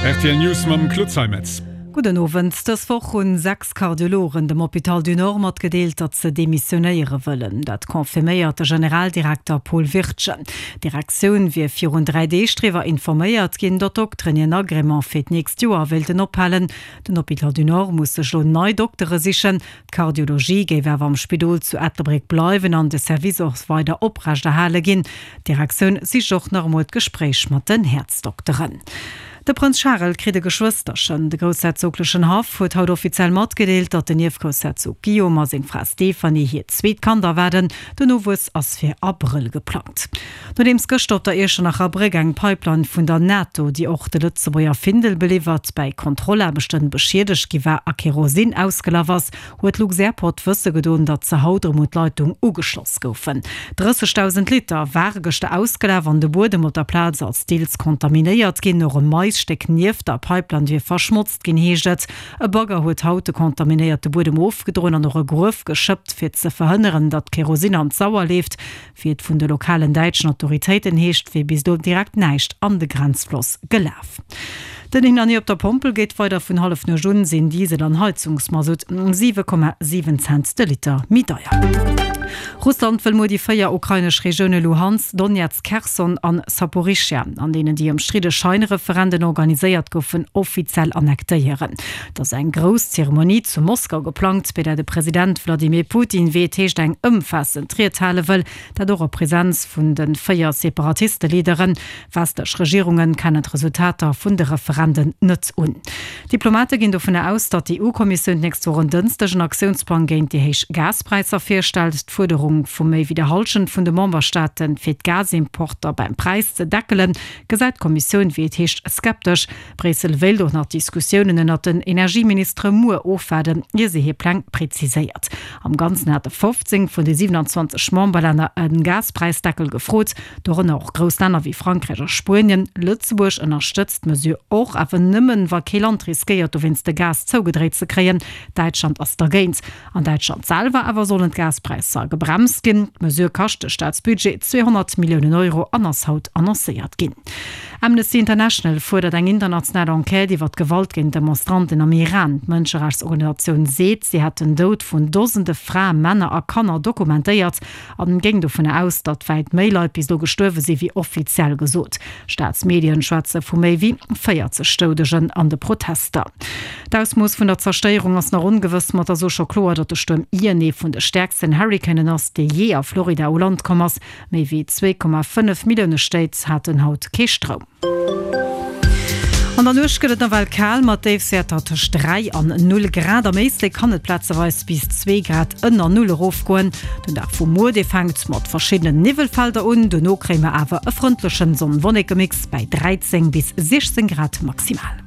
Rtl News mam Claude Zeimetz. Gudden Owend. Dës Woch hunn 6 Kardiologen dem Hôpital du Nord matgedeelt, datt se demissionéiere wëllen. Dat confirméiert de Generaldirekter Paul Wirtgen. D'Direktioun wier virun 3 Deeg driwwer informéiert ginn, datt d'Dokteren hien Agrément fir d'nächst Joer wéilten ophalen. Den Hôpital du Nord muss sech elo nei Doktere sichen. D'Kardiologie géif awer am Spidol zu Ettelbréck bleiwen an de Service och weider oprechterhale ginn. D'Direktioun sicht och nach emol d'Gespréich mat den Häerzdokteren. De Prënz Charel kritt e Geschwësterchen. De groussherzoglechen Haff huet haut offiziell matgedeelt, datt den Ierfgroussherzog Guillaume a seng Fra Stéphanie hiert zweet Kand erwaarden. Den Nowuess ass fir Abrëll geplangt. Nodeems gëschter op der Iechternacher Bréck eng Pipeline vun der NATO, déi och de Lëtzebuerger Findel beliwwert, bäi Kontrollaarbechten beschiedegt gi war a Kerosin ausgelaf ass, huet Luxairport wësse gedoen, datt se haut erëm un d'Leitung ugeschloss goufen. 30.000 Liter ware gëschter ausgelaf an de Buedem op der Plaz ass deels kontaminéiert ginn. Och e Maisstéck nieft der Pipeline wier verschmotzt ginn, heescht et. E Bagger huet haut de kontaminéierte Buedem ofgedroen an och e Gruef geschëppt, fir ze verhënneren, datt Kerosin an d'Sauer leeft. Wéi et vun de lokalen däitschen Autoritéiten heescht, wier bis elo direkt näischt an de Grenzfloss gelaf. Den Hin an Hier op der Pompel geet weider, Vun Hallefnuecht un sinn Diesel an Heizungsmasutt 7,7 Cent de Liter méi deier. Russland wëll muer déi 4 ukrainesch Regioune Luhansk, Donetsk, Kherson an Saporischschja, an deenen déi ëmstridde Scheinreferenden organiséiert goufen, offiziell annektéieren. Et ass eng grouss Zeremonie zu Moskau geplangt, bei där de President Wladimir Putin, wéi et heescht, eng ëmfaassend Ried hale wëll, dat och a Presenz vun de 4 Separatiste-Leaderen. Westlech Regierunge kennen d'Resultater vun de Referenden net un. Diplomate ginn dovunner aus, datt d'EU-Kommissioun d'nächst Woch en Dënschdeg en Aktiounsplang géint déi héich Gaspräisser virstellt. D'Fuerderung vu méi wéi der Hallschent vun de Memberstaaten, fir d'Gasimporter beim Präis ze deckelen, gesäit d'Kommissioun, wéi et heescht, skeptesch. Bréissel wéilt och nach d'Diskussiounen ënnert den Energieministere muer ofwaarden, ier se hir Pläng preziséiert. Am Ganzen hate 15 vun de 27 Memberlänner e Gaspräisdeckel gefrot, dorënner och grouss Länner wéi Frankräich a Spuenien. Lëtzebuerg ënnerstëtzt d'Mesure och, awer nëmmen, wa kee Land riskéiert, dowéinst de Gas zougedréit ze kréien. Däitschland ass dergéint. An Däitschland selwer awer sollen d'Gaspräisser gebremst ginn. D'Mesure kascht de Staatsbudget 200 Milliounen Euro an ass haut annoncéiert ginn. Amnesty International fuerdert eng international Enquête iwwer d'Gewalt géint Demonstranten am Iran. D'Mënscherechtsorganisatioun seet, si hätt den Doud vun Dosende Frae, Männer a Kanner dokumentéiert an géing dovunner aus, datt wäit méi Leit bis elo gestuerwe si wéi offiziell gesot. Staatsmedien schwätze vu méi wéi 40 Doudegen an de Protester. D'Ausmooss vun der Zerstéierung ass nach ongewëss, ma et ass elo scho kloer, datt de Stuerm Ian ee vun de stäerksten Hurricanen ass, dee jee a Florida u Land komm ass. Méi wéi 2,5 Millioune Stéit haten haut kee Stroum. An der Nuecht gëtt et nawell kal, mat Déifswäerter tëscht 3 an 0 Grad. Am Éislek kann et plazeweis bis 2 Grad ënner Null erofgoen. Den Dag vu muer, dee fänkt mat verschiddenen Niwwelfelder un, dono kréie mer awer e frëndlechen Sonn-Wolleke-Mix bäi 13 bis 16 Grad maximal.